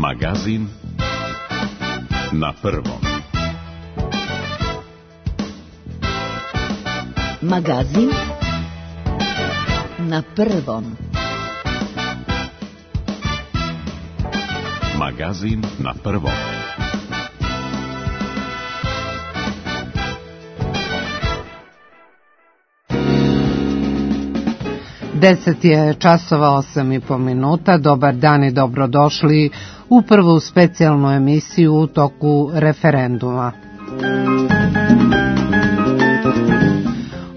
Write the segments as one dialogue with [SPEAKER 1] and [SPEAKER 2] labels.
[SPEAKER 1] Magazin na prvom.
[SPEAKER 2] Magazin na prvom.
[SPEAKER 1] Magazin na prvom.
[SPEAKER 3] Deset je časova 8,5 minuta. Dobar dan i dobrodošli u prvu specijalnu emisiju u toku referenduma.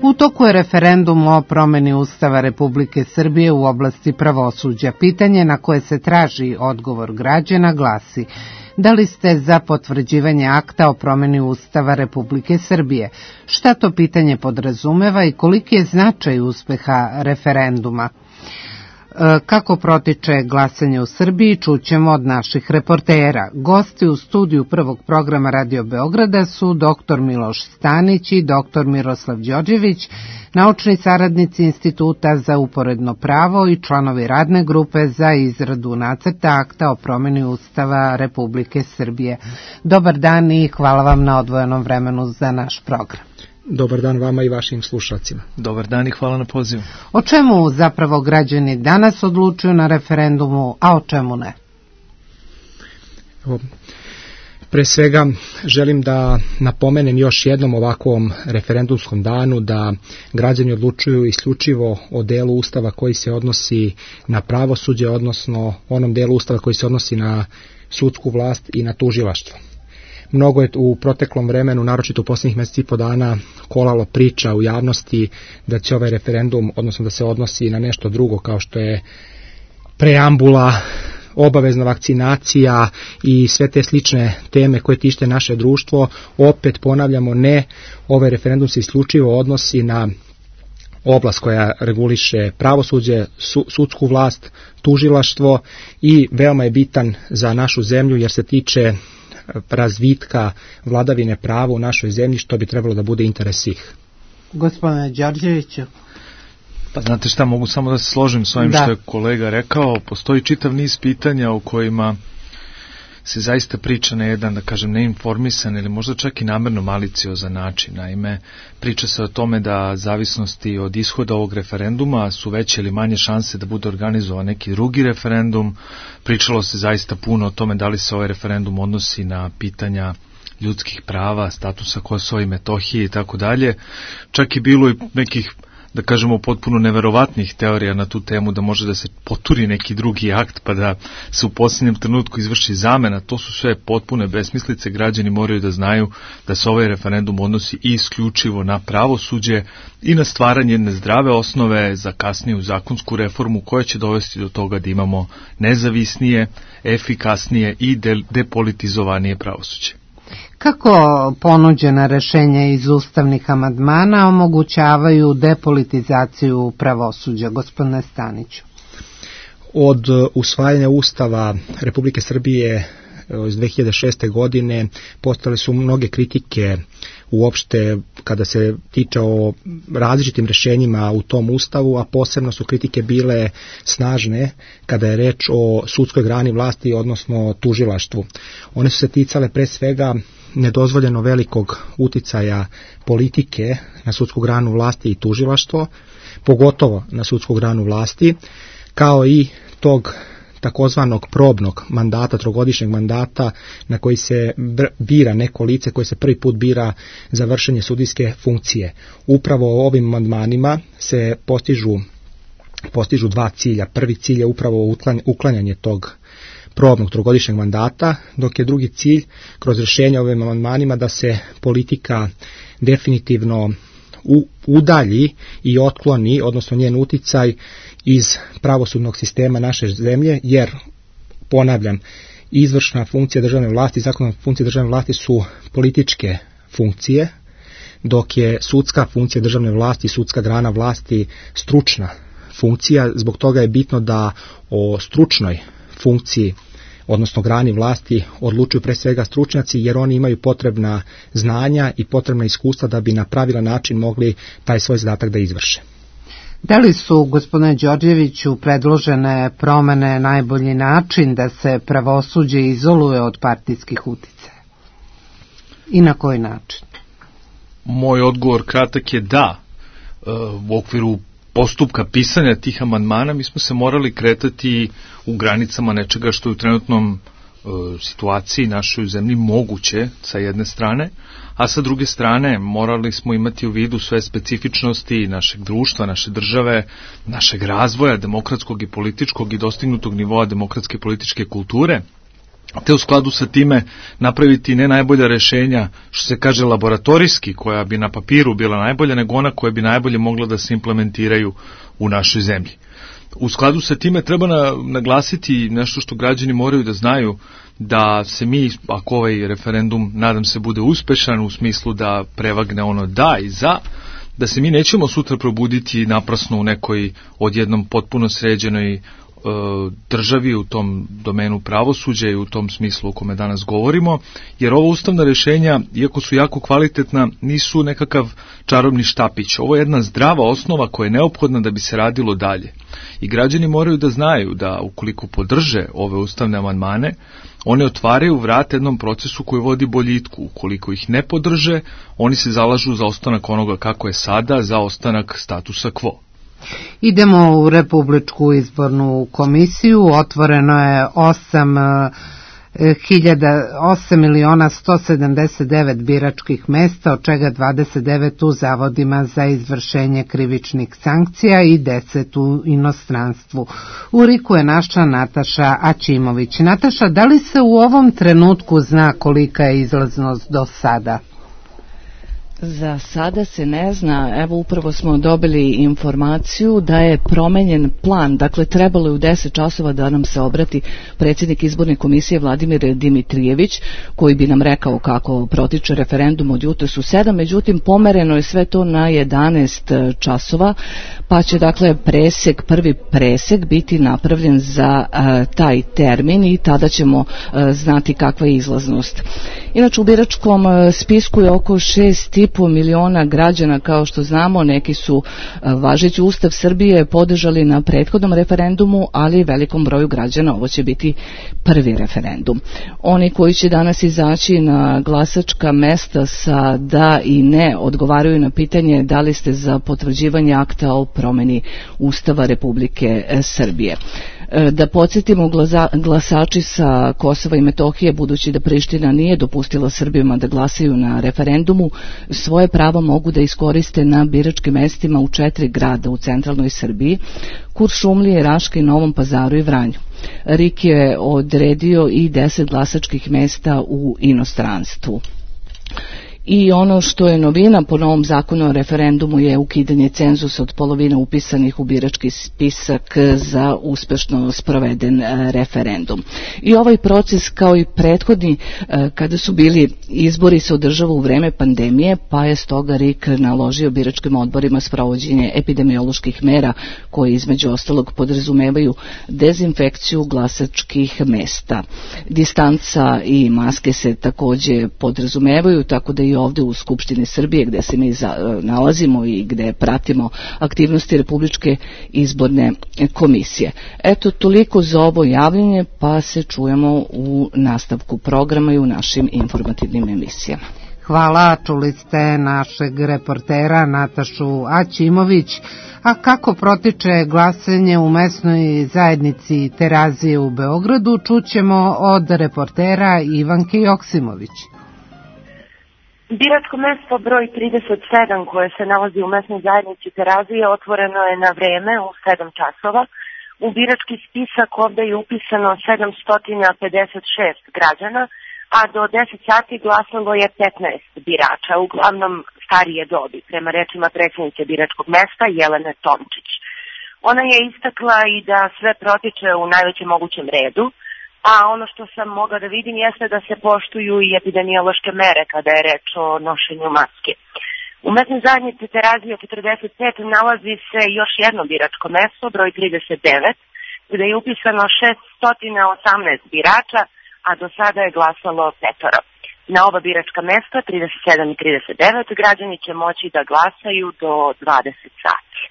[SPEAKER 3] U toku je referendum o promeni Ustava Republike Srbije u oblasti pravosuđa. Pitanje na koje se traži odgovor građana glasi: da li ste za potvrđivanje akta o promeni Ustava Republike Srbije? Šta to pitanje podrazumeva i koliki je značaj uspeha referenduma? Kako protiče glasanje u Srbiji, čućemo od naših reportera. Gosti u studiju prvog programa Radio Beograda su dr. Miloš Stanić i dr. Miroslav Đorđević, naučni saradnici Instituta za uporedno pravo i članovi radne grupe za izradu nacrta akta o promeni Ustava Republike Srbije. Dobar dan i hvala vam na odvojenom vremenu za naš program.
[SPEAKER 4] Dobar dan vama i vašim slušalcima.
[SPEAKER 5] Dobar dan i hvala na pozivu.
[SPEAKER 3] O čemu zapravo građani danas odlučuju na referendumu, a o čemu ne?
[SPEAKER 4] Pre svega želim da napomenem još jednom ovakvom referendumskom danu da građani odlučuju isključivo o delu Ustava koji se odnosi na pravosuđe, odnosno onom delu Ustava koji se odnosi na sudsku vlast i na tužilaštvo. Mnogo je u proteklom vremenu, naročito u posljednjih mjeseci i po dana, kolalo priča u javnosti da će ovaj referendum, odnosno da se odnosi na nešto drugo kao što je preambula, obavezna vakcinacija i sve te slične teme koje tište naše društvo. Opet ponavljamo, ne, ovaj referendum se isključivo odnosi na oblast koja reguliše pravosuđe, sudsku vlast, tužilaštvo i veoma je bitan za našu zemlju jer se tiče razvitka vladavine prava u našoj zemlji, što bi trebalo da bude interes svih.
[SPEAKER 3] Gospodine Đorđeviću.
[SPEAKER 5] Pa znate šta, mogu samo da se složim s ovim što je kolega rekao. Postoji čitav niz pitanja u kojima se zaista priča na jedan, da kažem, neinformisan ili možda čak i namerno maliciozan način. Naime, priča se o tome da zavisnosti od ishoda ovog referenduma su veće ili manje šanse da bude organizovan neki drugi referendum. Pričalo se zaista puno o tome da li se ovaj referendum odnosi na pitanja ljudskih prava, statusa Kosova i Metohije i tako dalje. Čak i bilo i nekih, da kažemo, potpuno neverovatnih teorija na tu temu da može da se poturi neki drugi akt pa da se u posljednjem trenutku izvrši zamena. To su sve potpune besmislice. Građani moraju da znaju da se ovaj referendum odnosi i isključivo na pravosuđe i na stvaranje jedne zdrave osnove za kasniju zakonsku reformu koja će dovesti do toga da imamo nezavisnije, efikasnije i depolitizovanije pravosuđe.
[SPEAKER 3] Kako ponuđena rešenja iz ustavnih amandmana omogućavaju depolitizaciju pravosuđa, gospodine Staniću?
[SPEAKER 4] Od usvajanja Ustava Republike Srbije iz 2006. godine postale su mnoge kritike uopšte kada se tiče o različitim rešenjima u tom Ustavu, a posebno su kritike bile snažne kada je reč o sudskoj grani vlasti, odnosno tužilaštvu. One su se ticale pre svega nedozvoljeno velikog uticaja politike na sudsku granu vlasti i tužilaštvo, pogotovo na sudsku granu vlasti, kao i tog takozvanog probnog mandata, trogodišnjeg mandata na koji se bira neko lice koje se prvi put bira za vršenje sudijske funkcije. Upravo ovim amandmanima se postižu dva cilja. Prvi cilj je upravo uklanjanje tog probnog trogodišnjeg mandata, dok je drugi cilj kroz rješenje ovim amandmanima da se politika definitivno udalji i otkloni, odnosno njen uticaj iz pravosudnog sistema naše zemlje, jer, ponavljam, izvršna funkcija državne vlasti i zakonodavna funkcija državne vlasti su političke funkcije, dok je sudska funkcija državne vlasti i sudska grana vlasti stručna funkcija. Zbog toga je bitno da o stručnoj funkciji, odnosno grani vlasti, odlučuju pre svega stručnjaci, jer oni imaju potrebna znanja i potrebna iskustva da bi na pravilan način mogli taj svoj zadatak da izvrše.
[SPEAKER 3] Da li su, gospodine Đorđeviću, predložene promene najbolji način da se pravosuđe izoluje od partijskih uticaja? I na koji način?
[SPEAKER 5] Moj odgovor kratak je da. U okviru postupka pisanja tih amandmana mi smo se morali kretati u granicama nečega što je u trenutnom situaciji našoj zemlji moguće sa jedne strane, a sa druge strane morali smo imati u vidu sve specifičnosti našeg društva, naše države, našeg razvoja demokratskog i političkog i dostignutog nivoa demokratske i političke kulture, te u skladu sa time napraviti ne najbolja rešenja, što se kaže laboratorijski, koja bi na papiru bila najbolja, nego ona koja bi najbolje mogla da se implementiraju u našoj zemlji. U skladu sa time treba naglasiti nešto što građani moraju da znaju, da se mi, ako ovaj referendum, nadam se, bude uspešan u smislu da prevagne ono da i za, da se mi nećemo sutra probuditi naprasno u nekoj odjednom potpuno sređenoj državi u tom domenu pravosuđa i u tom smislu o kome danas govorimo, jer ova ustavna rešenja, iako su jako kvalitetna, nisu nekakav čarobni štapić. Ovo je jedna zdrava osnova koja je neophodna da bi se radilo dalje. I građani moraju da znaju da ukoliko podrže ove ustavne amandmane, one otvaraju vrata jednom procesu koji vodi boljitku. Ukoliko ih ne podrže, oni se zalažu za ostanak onoga kako je sada, za ostanak statusa quo.
[SPEAKER 3] Idemo u Republičku izbornu komisiju. Otvoreno je 8.179 biračkih mesta, od čega 29 u zavodima za izvršenje krivičnih sankcija i 10 u inostranstvu. U RIK-u je naša Nataša Aćimović. Nataša, da li se u ovom trenutku zna kolika je izlaznost do sada?
[SPEAKER 2] Za sada se ne zna. Evo, upravo smo dobili informaciju da je promenjen plan. Dakle, trebalo je u 10 časova da nam se obrati predsjednik izborne komisije Vladimir Dimitrijević, koji bi nam rekao kako protiče referendum od jutros u 7. Međutim, pomereno je sve to na 11 časova, pa će dakle prvi presek biti napravljen za taj termin i tada ćemo znati kakva je izlaznost. Inače, u biračkom spisku je oko 6,5 miliona građana, kao što znamo. Neki su važeći Ustav Srbije podržali na prethodnom referendumu, ali velikom broju građana ovo će biti prvi referendum. Oni koji će danas izaći na glasačka mesta sa da i ne odgovaraju na pitanje da li ste za potvrđivanje akta o promeni Ustava Republike Srbije. Da podsjetimo, glasači sa Kosova i Metohije, budući da Priština nije dopustila Srbima da glasaju na referendumu, svoje pravo mogu da iskoriste na biračkim mestima u 4 grada u centralnoj Srbiji: Kuršumlije, Raški, Novom Pazaru i Vranju. RIK je odredio i 10 glasačkih mesta u inostranstvu. I ono što je novina po novom zakonu o referendumu je ukidanje cenzusa od polovine upisanih u birački spisak za uspešno sproveden referendum. I ovaj proces, kao i prethodni kada su bili izbori, se održava u vreme pandemije, pa je stoga RIK naložio biračkim odborima sprovođenje epidemioloških mera koje između ostalog podrazumevaju dezinfekciju glasačkih mesta. Distanca i maske se takođe podrazumevaju, tako da i ovde u Skupštini Srbije, gde se mi nalazimo i gde pratimo aktivnosti Republičke izborne komisije. Eto, toliko za ovo javljanje, pa se čujemo u nastavku programa i u našim informativnim emisijama.
[SPEAKER 3] Hvala, čuli ste našeg reportera Natašu Aćimović. A kako protiče glasanje u mesnoj zajednici Terazije u Beogradu, čućemo od reportera Ivanke Joksimović.
[SPEAKER 6] Biračko mesto broj 37 koje se nalazi u mesnoj zajednici Terazije otvoreno je na vreme u 7 časova. U birački spisak ovde je upisano 756 građana, a do 10 sati glasalo je 15 birača, uglavnom starije dobi, prema rečima predsjednice biračkog mesta Jelene Tomčić. Ona je istakla i da sve protiče u najvećem mogućem redu, a ono što sam mogla da vidim jeste da se poštuju i epidemiološke mere kada je reč o nošenju maske. U mesnoj zajednici Terazije 45 nalazi se još jedno biračko mesto, broj 39, gde je upisano 618 birača, a do sada je glasalo 5. Na oba biračka mesta, 37 i 39, građani će moći da glasaju do 20 sati.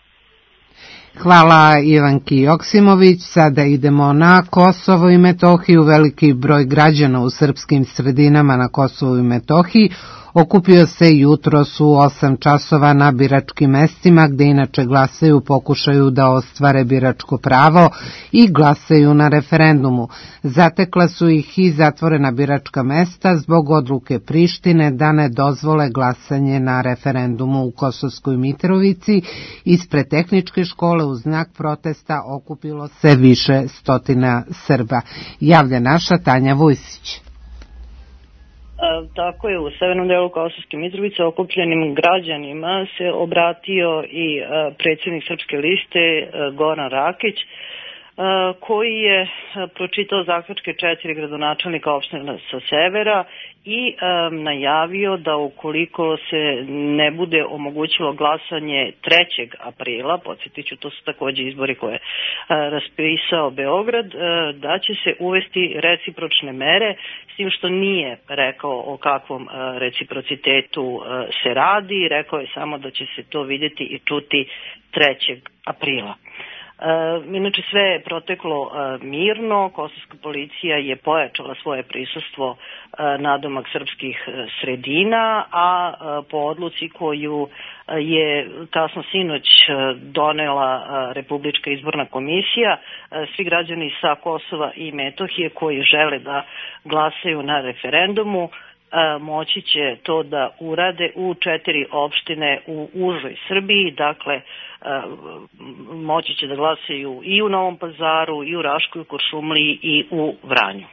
[SPEAKER 3] Hvala Ivanki Joksimović. Sada idemo na Kosovo i Metohiju. Veliki broj građana u srpskim sredinama na Kosovu i Metohiji okupio se jutros u 8 časova na biračkim mestima, gde inače glasaju, pokušaju da ostvare biračko pravo i glasaju na referendumu. Zatekla su ih i zatvorena biračka mesta zbog odluke Prištine da ne dozvole glasanje na referendumu u Kosovskoj Mitrovici. Ispred tehničke škole u znak protesta okupilo se više stotina Srba. Javlja naša Tanja Vujsić.
[SPEAKER 7] Tako je, u severnom delu Kosovske Mitrovice okupljenim građanima se obratio i predsjednik Srpske liste Goran Rakić, koji je pročitao zaključke 4 gradonačelnika opština sa severa i najavio da ukoliko se ne bude omogućilo glasanje 3. aprila, podsjetit ću, to su takođe izbori koje raspisao Beograd, da će se uvesti recipročne mere, s tim što nije rekao o kakvom reciprocitetu se radi, rekao je samo da će se to vidjeti i čuti 3. aprila. Inače sve je proteklo mirno, kosovska policija je pojačala svoje prisustvo nadomak srpskih sredina, a po odluci koju je kasno sinoć donela Republička izborna komisija, svi građani sa Kosova i Metohije koji žele da glasaju na referendumu moći će to da urade u 4 opštine u užoj Srbiji, dakle moći će da glasaju i u Novom Pazaru, i u Raškoj, Kuršumliji i u Vranju.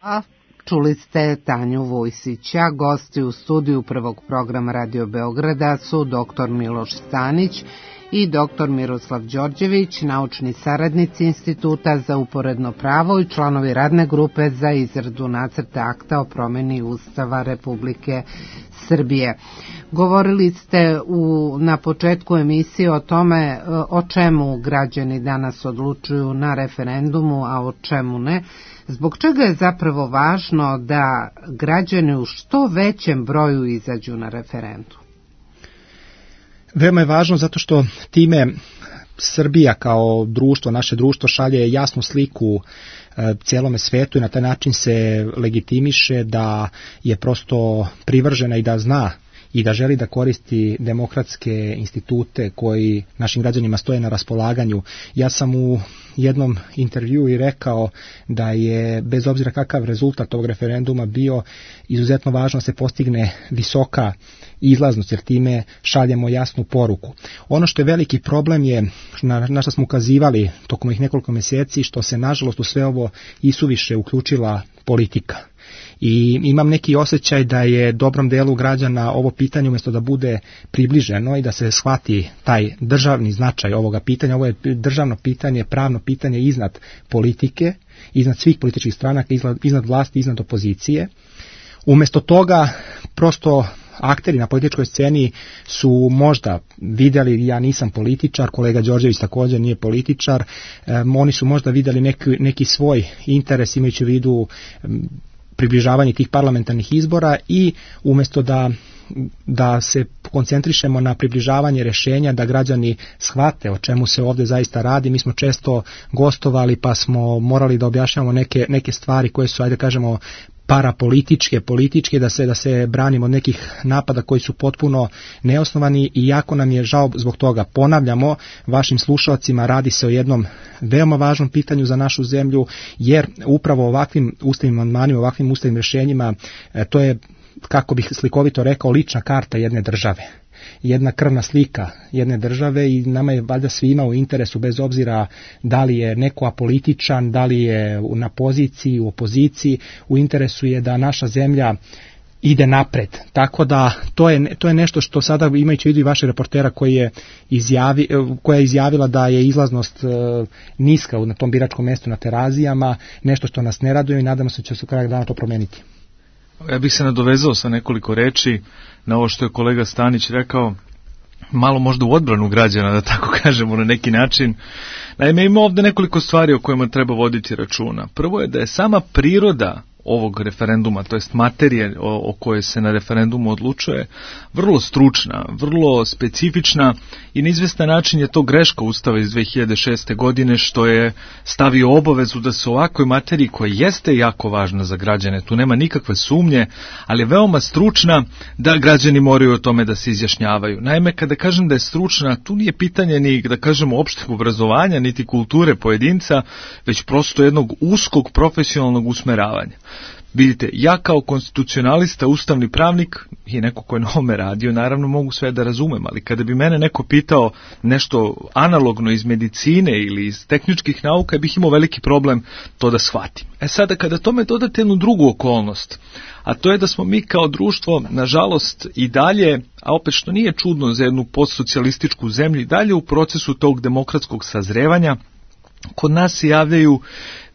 [SPEAKER 3] A čuli ste Tanju Vujsića. Gosti u studiju prvog programa Radio Beograda su dr. Miloš Stanić i dr. Miroslav Đorđević, naučni saradnici Instituta za uporedno pravo i članovi radne grupe za izradu nacrta akta o promeni Ustava Republike Srbije. Govorili ste na početku emisije o tome o čemu građani danas odlučuju na referendumu, a o čemu ne. Zbog čega je zapravo važno da građani u što većem broju izađu na referendum?
[SPEAKER 4] Veoma je važno zato što time Srbija kao društvo, naše društvo šalje jasnu sliku cijelome svetu i na taj način se legitimiše da je prosto privržena i da zna i da želi da koristi demokratske institute koji našim građanima stoje na raspolaganju. Ja sam u jednom intervjuu i rekao da je, bez obzira kakav rezultat ovog referenduma bio, izuzetno važno da se postigne visoka izlaznost, jer time šaljemo jasnu poruku. Ono što je veliki problem je, na što smo ukazivali tokom ih nekoliko mjeseci, što se nažalost u sve ovo isuviše uključila politika. I imam neki osjećaj da je dobrom delu građana ovo pitanje, umjesto da bude približeno i da se shvati taj državni značaj ovoga pitanja, ovo je državno pitanje, pravno pitanje iznad politike, iznad svih političkih stranaka, iznad vlasti, iznad opozicije. Umjesto toga prosto akteri na političkoj sceni su možda vidjeli, ja nisam političar, kolega Đorđević također nije političar, oni su možda vidjeli neki svoj interes imajući u vidu približavanje tih parlamentarnih izbora i umjesto da se koncentrišemo na približavanje rješenja, da građani shvate o čemu se ovdje zaista radi. Mi smo često gostovali pa smo morali da objašnjavamo neke stvari koje su, ajde kažemo, parapolitičke, da se branimo od nekih napada koji su potpuno neosnovani i jako nam je žao zbog toga. Ponavljamo vašim slušalcima, radi se o jednom veoma važnom pitanju za našu zemlju, jer upravo ovakvim ustavnim amandmanima, ovakvim ustavnim rješenjima, to je, kako bih slikovito rekao, lična karta jedne države. Jedna krvna slika jedne države i nama je valjda svima u interesu, bez obzira da li je neko apolitičan, da li je na poziciji, u opoziciji, u interesu je da naša zemlja ide napred. Tako da to je nešto što sada, imajući u vidu i vaše reportera koja je izjavila da je izlaznost niska na tom biračkom mjestu na Terazijama, nešto što nas ne raduje i nadamo se da će se u kraju dana to promijeniti.
[SPEAKER 5] Ja bih se nadovezao sa nekoliko reči na ovo što je kolega Stanić rekao, malo možda u odbranu građana, da tako kažemo na neki način. Naime, ima ovdje nekoliko stvari o kojima treba voditi računa. Prvo je da je sama priroda ovog referenduma, to jest materije o kojoj se na referendumu odlučuje, vrlo stručna, vrlo specifična i na izvestan način je to greška Ustava iz 2006. godine što je stavio obavezu da se ovakvoj materiji koja jeste jako važna za građane, tu nema nikakve sumnje, ali je veoma stručna da građani moraju o tome da se izjašnjavaju. Naime, kada kažem da je stručna, tu nije pitanje ni, da kažemo, opšteg obrazovanja, niti kulture pojedinca, već prosto jednog uskog profesionalnog usmeravanja. Vidite, ja kao konstitucionalista, ustavni pravnik i neko ko je na ovome radio, naravno mogu sve da razumem, ali kada bi mene neko pitao nešto analogno iz medicine ili iz tehničkih nauka, bih imao veliki problem to da shvatim. Sada kada tome dodate jednu drugu okolnost, a to je da smo mi kao društvo, nažalost, i dalje, a opet što nije čudno za jednu postsocijalističku zemlju, i dalje u procesu tog demokratskog sazrevanja, kod nas se javljaju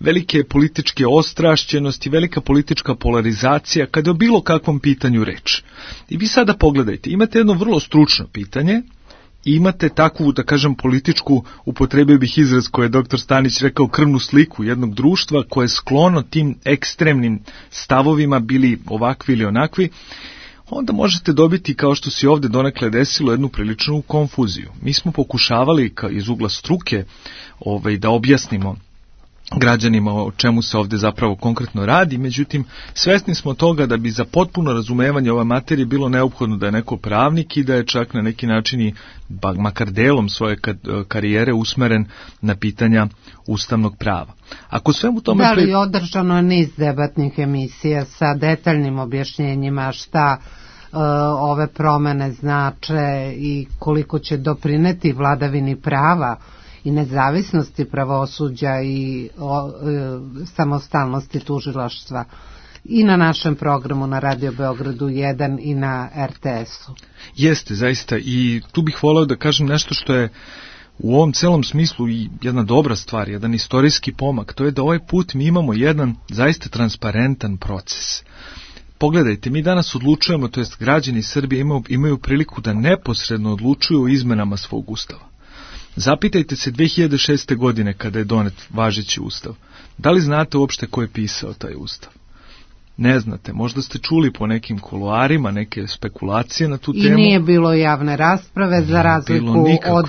[SPEAKER 5] velike političke ostrašćenosti, velika politička polarizacija kada je o bilo kakvom pitanju reč. I vi sada pogledajte, imate jedno vrlo stručno pitanje i imate takvu, da kažem, političku, upotrebio bih izraz koje je dr. Stanić rekao, krvnu sliku jednog društva koje je sklono tim ekstremnim stavovima, bili ovakvi ili onakvi, onda možete dobiti, kao što se ovdje donekle desilo, jednu priličnu konfuziju. Mi smo pokušavali iz ugla struke da objasnimo građanima o čemu se ovdje zapravo konkretno radi, međutim, svesni smo toga da bi za potpuno razumevanje ove materije bilo neophodno da je neko pravnik i da je čak na neki način i makar delom svoje karijere usmeren na pitanja ustavnog prava. Ako svemu tome...
[SPEAKER 3] Da li održano je niz debatnih emisija sa detaljnim objašnjenjima šta ove promene znače i koliko će doprineti vladavini prava i nezavisnosti pravosuđa i samostalnosti tužilaštva i na našem programu na Radio Beogradu 1 i na RTS-u.
[SPEAKER 5] Jeste, zaista, i tu bih voleo da kažem nešto što je u ovom celom smislu i jedna dobra stvar, jedan istorijski pomak, to je da ovaj put mi imamo jedan zaista transparentan proces. Pogledajte, mi danas odlučujemo, to jest građani Srbije imaju priliku da neposredno odlučuju o izmenama svog ustava. Zapitajte se 2006. godine kada je donet važeći ustav. Da li znate uopšte ko je pisao taj ustav? Ne znate, možda ste čuli po nekim kuloarima neke spekulacije na tu temu.
[SPEAKER 3] I nije bilo javne rasprave za razliku od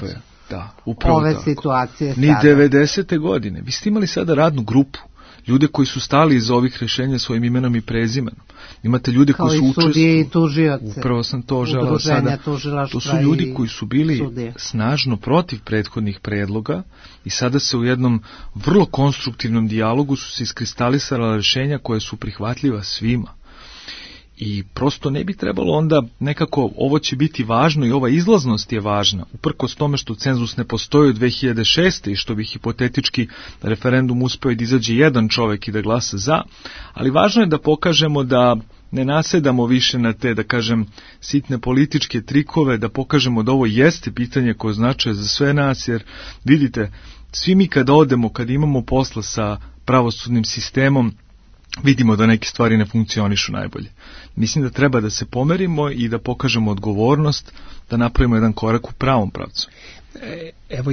[SPEAKER 3] ove situacije sada.
[SPEAKER 5] Ni 90. godine. Vi ste imali sada radnu grupu. Ljude koji su stali iza ovih rješenja svojim imenom i prezimenom. Imate ljude koji su učestvovali. Kao i sudije i
[SPEAKER 3] tužioce.
[SPEAKER 5] Upravo sam to želeo sada. To su ljudi koji su bili sudije. Snažno protiv prethodnih predloga i sada se u jednom vrlo konstruktivnom dijalogu su se iskristalisala rješenja koje su prihvatljiva svima. I prosto ne bi trebalo onda nekako, ovo će biti važno i ova izlaznost je važna, uprkos tome što cenzus ne postoji od 2006. i što bi hipotetički referendum uspeo da izađe jedan čovjek i da glasa za, ali važno je da pokažemo da ne nasedamo više na te, da kažem, sitne političke trikove, da pokažemo da ovo jeste pitanje koje značaje za sve nas, jer vidite, svi mi kada odemo, kada imamo posla sa pravosudnim sistemom, vidimo da neke stvari ne funkcionišu najbolje. Mislim da treba da se pomerimo i da pokažemo odgovornost, da napravimo jedan korak u pravom pravcu.
[SPEAKER 4] Evo,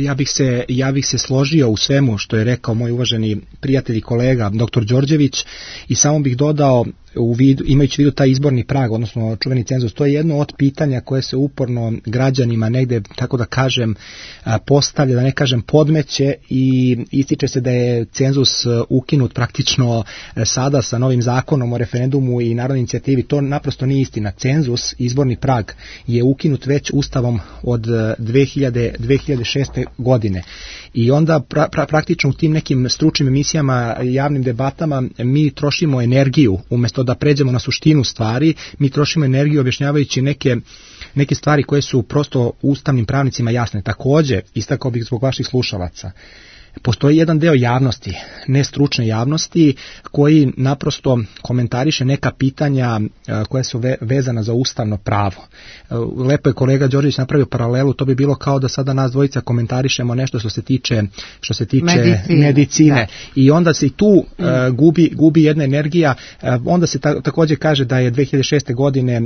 [SPEAKER 4] ja bih se složio u svemu što je rekao moj uvaženi prijatelj i kolega dr. Đorđević i samo bih dodao, imajući u vidu taj izborni prag, odnosno čuveni cenzus, to je jedno od pitanja koje se uporno građanima negde, tako da kažem, postavlja, da ne kažem podmeće, i ističe se da je cenzus ukinut praktično sada sa novim zakonom o referendumu i narodnoj inicijativi. To naprosto nije istina. Cenzus, izborni prag, je ukinut već ustavom od 2006. godine. I onda praktično u tim nekim stručnim emisijama, javnim debatama, mi trošimo energiju, umjesto da pređemo na suštinu stvari, mi trošimo energiju objašnjavajući neke stvari koje su prosto ustavnim pravnicima jasne. Također, istakao bih zbog vaših slušalaca, postoji jedan deo javnosti, nestručne javnosti, koji naprosto komentariše neka pitanja koja su vezana za ustavno pravo. Lepo je kolega Đorđević napravio paralelu, to bi bilo kao da sada nas dvojica komentarišemo nešto što se tiče medicine. Da. I onda se i tu gubi jedna energija. Onda se također kaže da je 2006. godine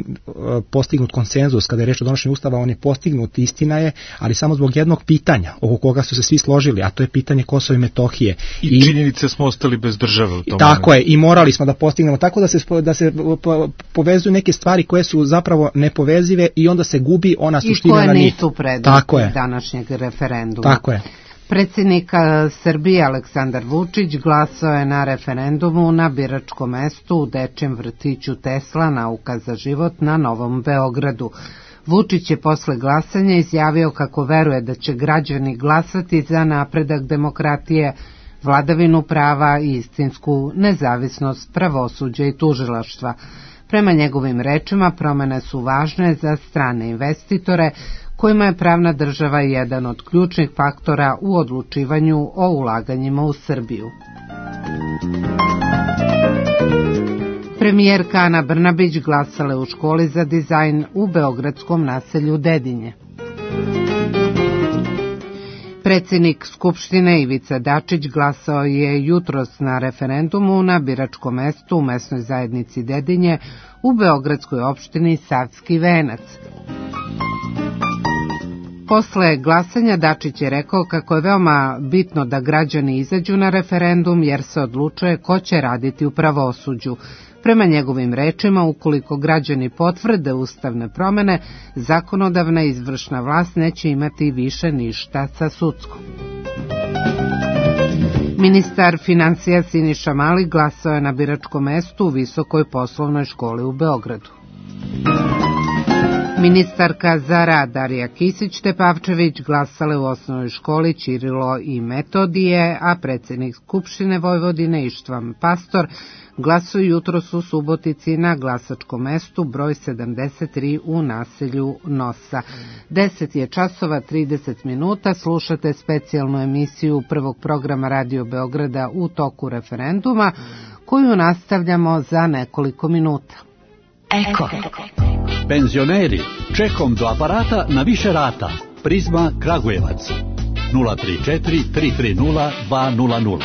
[SPEAKER 4] postignut konsenzus kada je reč o donošenju ustava, on je postignut, istina je, ali samo zbog jednog pitanja oko koga su se svi složili, a to je pitanje pitanje Kosova i Metohije.
[SPEAKER 5] I činjenice smo ostali bez države u tom
[SPEAKER 4] Tako je, i morali smo da postignemo tako da se povezuju neke stvari koje su zapravo nepovezive i onda se gubi ona suština na nit.
[SPEAKER 3] I koje nisu predmet današnjeg referenduma.
[SPEAKER 4] Tako je.
[SPEAKER 3] Predsjednik Srbije Aleksandar Vučić glasao je na referendumu na biračkom mestu u Dečijem vrtiću Tesla Nauka za život na Novom Beogradu. Vučić je posle glasanja izjavio kako veruje da će građani glasati za napredak demokratije, vladavinu prava i istinsku nezavisnost pravosuđa i tužilaštva. Prema njegovim rečima, promene su važne za strane investitore, kojima je pravna država jedan od ključnih faktora u odlučivanju o ulaganjima u Srbiju. Premijerka Ana Brnabić glasala u školi za dizajn u beogradskom naselju Dedinje. Predsjednik Skupštine Ivica Dačić glasao je jutros na referendumu na biračkom mestu u mesnoj zajednici Dedinje u beogradskoj opštini Savski Venac. Posle glasanja Dačić je rekao kako je veoma bitno da građani izađu na referendum jer se odlučuje ko će raditi u pravosuđu. Prema njegovim rečima, ukoliko građani potvrde ustavne promene, zakonodavna i izvršna vlast neće imati više ništa sa sudskom. Ministar financija Siniša Mali glasao je na biračkom mestu u Visokoj poslovnoj školi u Beogradu. Ministarka za rad Darija Kisić-Tepavčević glasala u osnovnoj školi Ćirilo i Metodije, a predsjednik Skupštine Vojvodine Ištvan Pastor glasuje jutros u Subotici na glasačkom mestu broj 73 u naselju Nosa. 10 je časova 30 minuta, slušate specijalnu emisiju prvog programa Radio Beograda u toku referenduma, koju nastavljamo za nekoliko minuta.
[SPEAKER 8] Eko. Penzioneri, čekom do aparata na više rata. Prizma Kragujevac 034 330 200.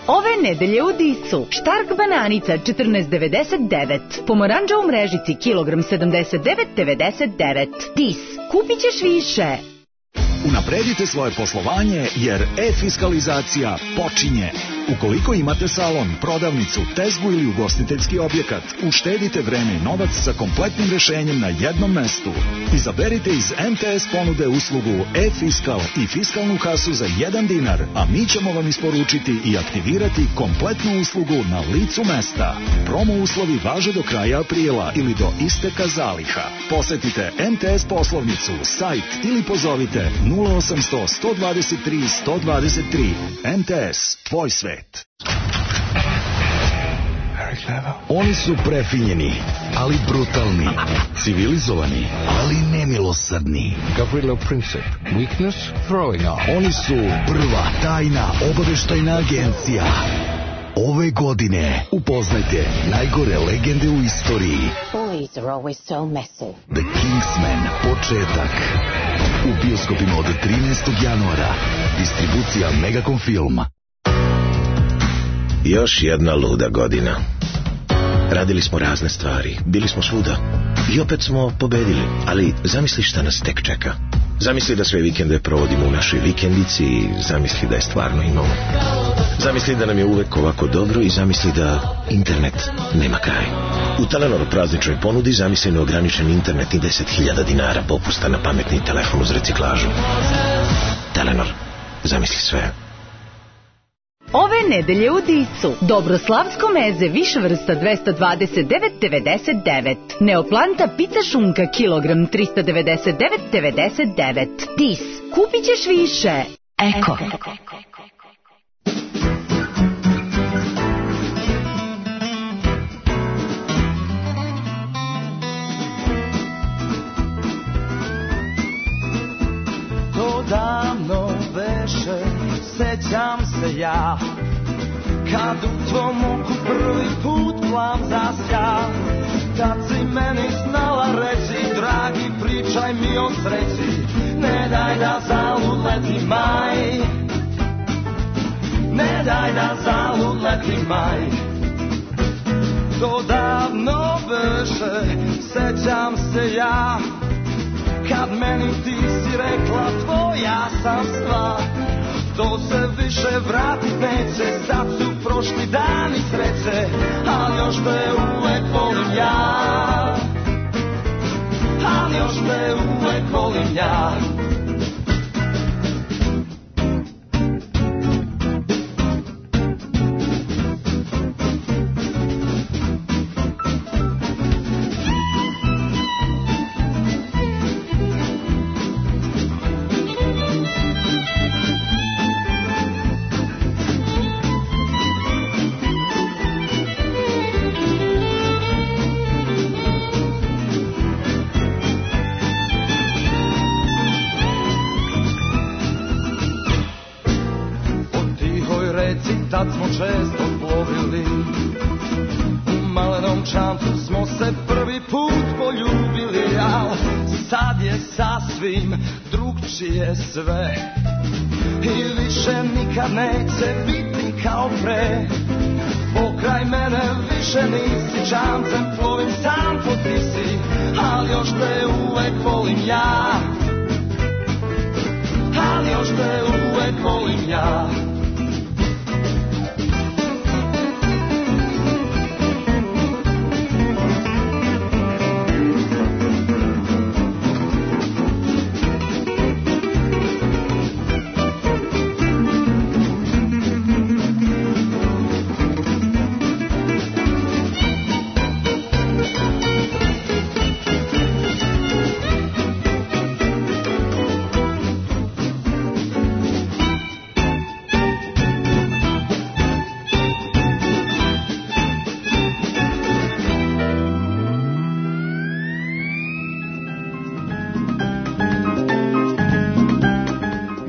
[SPEAKER 9] Ove nedelje u Disu Štark bananica 14,99, pomoranđa u mrežici kilogram 79,99. Dis, kupit ćeš više.
[SPEAKER 10] Unapredite svoje poslovanje jer e-fiskalizacija počinje. Ukoliko imate salon, prodavnicu, tezgu ili ugostiteljski objekat, uštedite vreme i novac sa kompletnim rešenjem na jednom mestu. Izaberite iz MTS ponude uslugu e-fiskal i fiskalnu kasu za 1 dinar, a mi ćemo vam isporučiti i aktivirati kompletnu uslugu na licu mesta. Promo uslovi važe do kraja aprila ili do isteka zaliha. Posetite MTS poslovnicu, sajt ili pozovite 0800 123 123. MTS, tvoj svet. Oni su prefinjeni, ali brutalni, civilizovani, ali nemilosrdni.
[SPEAKER 11] Gavrilo Princip, weakness, throwing off.
[SPEAKER 10] Oni su prva tajna obaveštajna agencija. Ove godine upoznajte najgore legende u istoriji.
[SPEAKER 12] Boys are always so messy.
[SPEAKER 10] The Kingsman, početak. U bioskopima od 13. januara. Distribucija Megacom Filma.
[SPEAKER 13] Još jedna luda godina. Radili smo razne stvari, bili smo svuda i opet smo pobedili, ali zamisli šta nas tek čeka. Zamisli da sve vikende provodimo u našoj vikendici i zamisli da je stvarno imamo. Zamisli da nam je uvek ovako dobro i zamisli da internet nema kraj. U Telenor prazničnoj ponudi zamisli neograničen internet i 10.000 dinara popusta na pametni telefon uz reciklažu. Telenor, zamisli sve.
[SPEAKER 9] Ove nedelje u Disu Dobroslavsko meze više vrsta 229,99. Neoplanta pizza šunka kilogram 399,99. Dis, kupit ćeš više. Eko.
[SPEAKER 14] To davno veše, sećam se ja, kad u tvom oku prvi put plan zasja. Tad si meni znala reći, dragi, pričaj mi o sreći, ne daj da zalud leti maj, ne daj da zalud leti maj. To davno veše, sećam se ja, kad meni ti si rekla tvoja sam stvar. to se više vratit neće, sad su prošli dani sreće, ali još te uvek volim ja, ali još te uvek volim ja. Tad smo često plovili, u malenom čamcu smo se prvi put poljubili, al sad je sasvim drugčije sve i više nikad neće biti kao pre. Pokraj mene više nisi, čamcem plovim sam po tisi, ali još te uvek volim ja, ali još te uvek volim ja.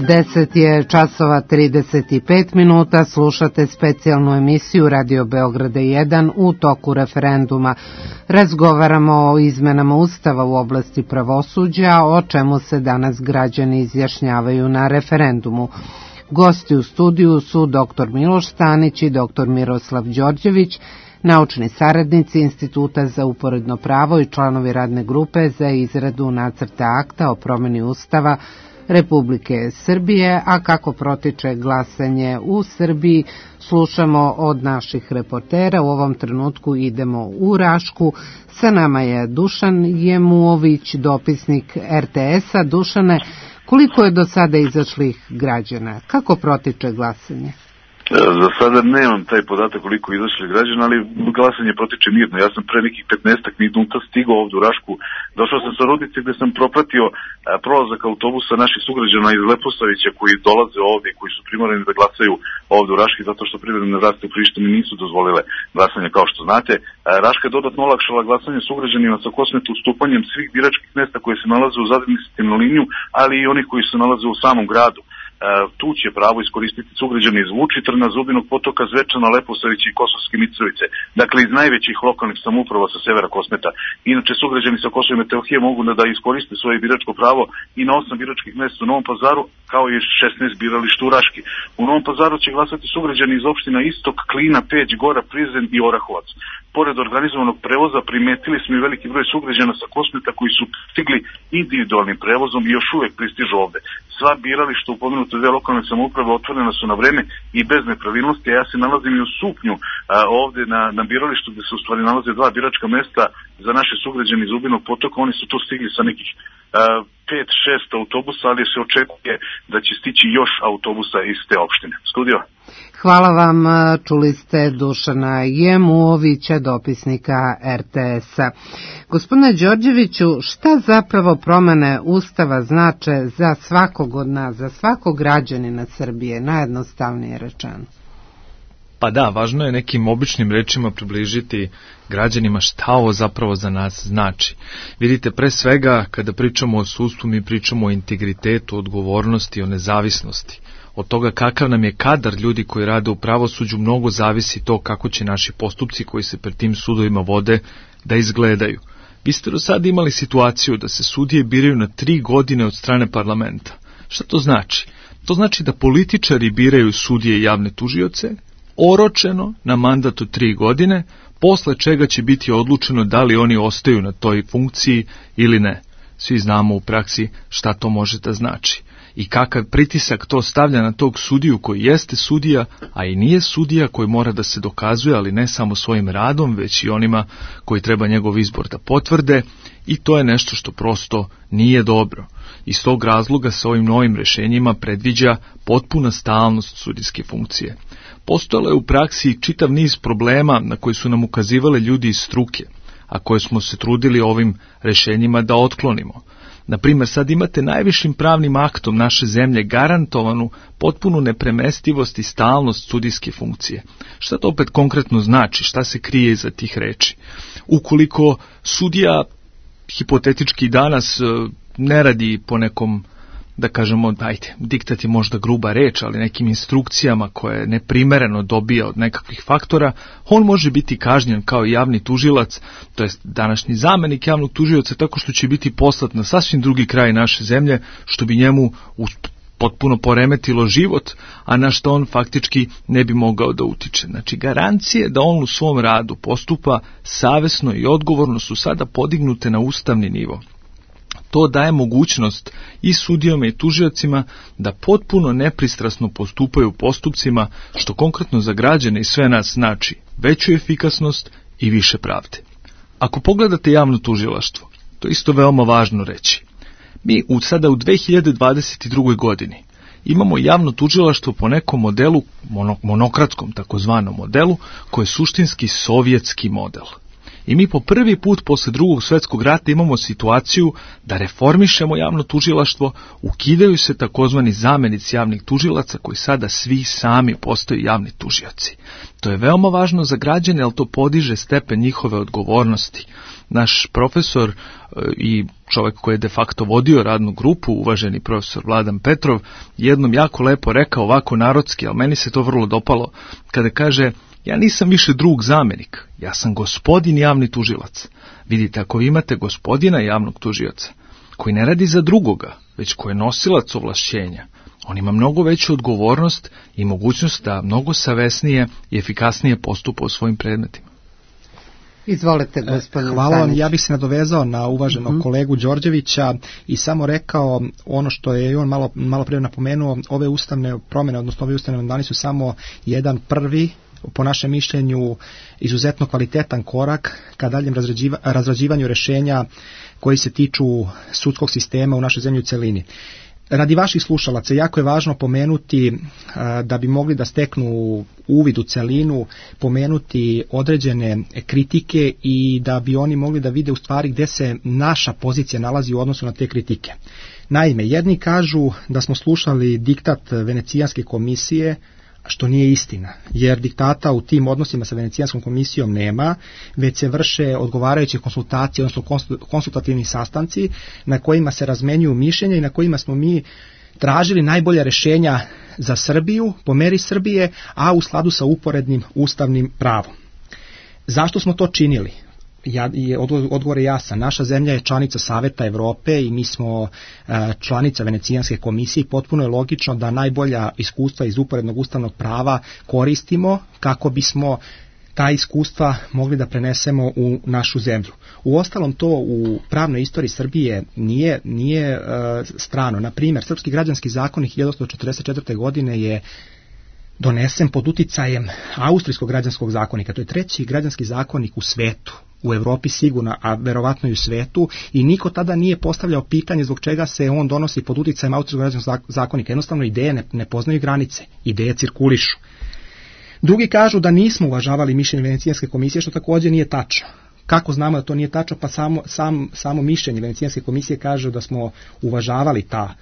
[SPEAKER 3] Deset je časova 35 minuta, slušate specijalnu emisiju Radio Beograda 1 u toku referenduma. Razgovaramo o izmenama Ustava u oblasti pravosuđa, o čemu se danas građani izjašnjavaju na referendumu. Gosti u studiju su dr. Miloš Stanić i dr. Miroslav Đorđević, naučni saradnici Instituta za uporedno pravo i članovi radne grupe za izradu nacrta akta o promeni Ustava Republike Srbije, a kako protiče glasanje u Srbiji slušamo od naših reportera. U ovom trenutku idemo u Rašku. Sa nama je Dušan Jemuović, dopisnik RTS-a. Dušane, koliko je do sada izašlih građana? Kako protiče glasanje?
[SPEAKER 15] Za sada nemam taj podatak koliko izašli građana, ali glasanje protiče mirno. Ja sam pre nekih 15 minuta stigao ovdje u Rašku. Došao sam sa Rudnice gde sam propratio prolazak autobusa naših sugrađana iz Leposavića koji dolaze ovdje i koji su primorani da glasaju ovdje u Raški zato što privredne vlasti u Prištini nisu dozvolile glasanje kao što znate. Raška je dodatno olakšala glasanje sugrađanima sa Kosmeta ustupanjem svih biračkih mesta koje se nalaze uz administrativnu liniju, ali i onih koji se nalaze u samom gradu. Tu će pravo iskoristiti sugrađani iz Vučitrna, Zubinog Potoka, Zvečana, Leposavića i Kosovske Mitrovice. Dakle, iz najvećih lokalnih samouprava sa severa Kosmeta. Inače, sugrađani sa Kosova i Metohije mogu da iskoriste svoje biračko pravo i na 8 biračkih mesta u Novom Pazaru, kao i 16 birališta u Raški. U Novom Pazaru će glasati sugrađani iz opština Istok, Klina, Peć, Gora, Prizren i Orahovac. Pored organizovanog prevoza primetili smo i veliki broj sugrađana sa Kosmeta koji su stigli individualnim prevozom i još uvek pristižu ovde. Sva birališta u pomenute dve lokalne samouprave otvorena su na vreme i bez nepravilnosti, a ja se nalazim i u Supnju ovde na biralištu gde se u stvari nalaze dva biračka mesta za naše sugrađane iz Zubinog Potoka. Oni su tu stigli sa nekih 5-6 autobusa, ali se očekuje da će stići još autobusa iz te opštine. Studio.
[SPEAKER 3] Hvala vam, čuli ste Dušana Jemuovića, dopisnika RTS-a. Gospodine Đorđeviću, šta zapravo promene Ustava znače za svakog od nas, za svakog građanina Srbije, najjednostavnije rečeno?
[SPEAKER 5] Pa da, važno je nekim običnim rečima približiti građanima šta ovo zapravo za nas znači. Vidite, pre svega, kada pričamo o sudstvu, mi pričamo o integritetu, odgovornosti, o nezavisnosti. Od toga kakav nam je kadar ljudi koji rade u pravosuđu, mnogo zavisi to kako će naši postupci koji se pred tim sudovima vode da izgledaju. Vi ste do sada imali situaciju da se sudije biraju na 3 godine od strane parlamenta. Šta to znači? To znači da političari biraju sudije i javne tužioce, oročeno na mandat od 3 godine, posle čega će biti odlučeno da li oni ostaju na toj funkciji ili ne. Svi znamo u praksi šta to može da znači. i kakav pritisak to stavlja na tog sudiju koji jeste sudija, a i nije sudija, koji mora da se dokazuje, ali ne samo svojim radom, već i onima koji treba njegov izbor da potvrde, i to je nešto što prosto nije dobro. Iz tog razloga se ovim novim rešenjima predviđa potpuna stalnost sudijske funkcije. Postojalo je u praksi čitav niz problema na koje su nam ukazivali ljudi iz struke, a koje smo se trudili ovim rešenjima da otklonimo. Na primjer, sad imate najvišim pravnim aktom naše zemlje garantovanu potpunu nepremestivost i stalnost sudijske funkcije. Šta to opet konkretno znači? Šta se krije iza tih reči? Ukoliko sudija hipotetički danas ne radi po nekom, da kažemo, diktat je možda gruba reč, ali nekim instrukcijama koje neprimereno dobija od nekakvih faktora, on može biti kažnjen kao javni tužilac, to jest današnji zamenik javnog tužioca, tako što će biti poslat na sasvim drugi kraj naše zemlje, što bi njemu potpuno poremetilo život, a na što on faktički ne bi mogao da utiče. Znači, garancije da on u svom radu postupa savesno i odgovorno su sada podignute na ustavni nivo. To daje mogućnost i sudijama i tužiocima da potpuno nepristrasno postupaju u postupcima, što konkretno za građane i sve nas znači veću efikasnost i više pravde. Ako pogledate javno tužilaštvo, to je isto veoma važno reći. Mi sada u 2022. godini imamo javno tužilaštvo po nekom modelu, monokratskom takozvanom modelu, koji je suštinski sovjetski model. I mi po prvi put posle Drugog svjetskog rata imamo situaciju da reformišemo javno tužilaštvo, ukidaju se takozvani zamenici javnih tužilaca koji sada svi sami postaju javni tužioci. To je veoma važno za građane, ali to podiže stepen njihove odgovornosti. Naš profesor i čovjek koji je de facto vodio radnu grupu, uvaženi profesor Vladan Petrov, jednom jako lepo rekao ovako narodski, ali meni se to vrlo dopalo, kada kaže: ja nisam više drug zamenik, ja sam gospodin javni tužilac. Vidite, ako vi imate gospodina javnog tužioca, koji ne radi za drugoga, već koji je nosilac ovlašćenja, on ima mnogo veću odgovornost i mogućnost da mnogo savesnije i efikasnije postupa u svojim predmetima.
[SPEAKER 3] Izvolite, gospodine.
[SPEAKER 4] Hvala vam, ja bih se nadovezao na uvaženog kolegu Đorđevića i samo rekao ono što je on malo prije napomenuo, ove ustavne promjene, odnosno ove ustavne amandmani su samo jedan prvi, po našem mišljenju, izuzetno kvalitetan korak ka daljem razrađivanju rješenja koji se tiču sudskog sistema u našoj zemlji u celini. Radi vaših slušalaca jako je važno pomenuti, da bi mogli da steknu uvid u celinu, pomenuti određene kritike i da bi oni mogli da vide u stvari gdje se naša pozicija nalazi u odnosu na te kritike. Naime, jedni kažu da smo slušali diktat Venecijanske komisije, što nije istina, jer diktata u tim odnosima sa Venecijanskom komisijom nema, već se vrše odgovarajuće konsultacije, odnosno konsultativni sastanci na kojima se razmenjuju mišljenja i na kojima smo mi tražili najbolja rješenja za Srbiju, po meri Srbije, a u skladu sa uporednim ustavnim pravom. Zašto smo to činili? Odgovor je jasan. Naša zemlja je članica Saveta Evrope i mi smo članica Venecijanske komisije i potpuno je logično da najbolja iskustva iz uporednog ustavnog prava koristimo kako bismo ta iskustva mogli da prenesemo u našu zemlju. Uostalom, to u pravnoj istoriji Srbije nije strano. Na primjer, Srpski građanski zakonik 1844. godine je donesen pod uticajem Austrijskog građanskog zakonika. To je treći građanski zakonik u svetu, u Evropi sigurno, a verovatno i u svetu, i niko tada nije postavljao pitanje zbog čega se on donosi pod uticajem Austrijskog građanskog zakonika. Jednostavno, ideje ne poznaju granice, ideje cirkulišu. Drugi kažu da nismo uvažavali mišljenje Venecijanske komisije, što također nije tačno. Kako znamo da to nije tačno? Pa samo mišljenje Venecijanske komisije kaže da smo uvažavali ta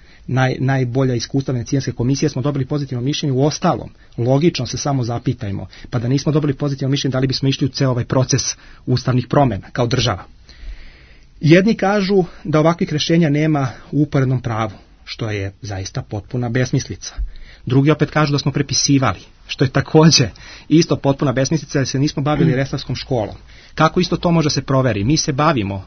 [SPEAKER 4] najbolja iskustva Venecijanske komisije, smo dobili pozitivno mišljenje. U ostalom, logično se samo zapitajmo, pa da nismo dobili pozitivno mišljenje, da li bismo išli u ceo ovaj proces ustavnih promjena kao država. Jedni kažu da ovakvih rješenja nema u uporednom pravu, što je zaista potpuna besmislica. Drugi opet kažu da smo prepisivali, što je također isto potpuna besmislica, jer se nismo bavili resavskom školom. Kako isto to može se proveri? Mi se bavimo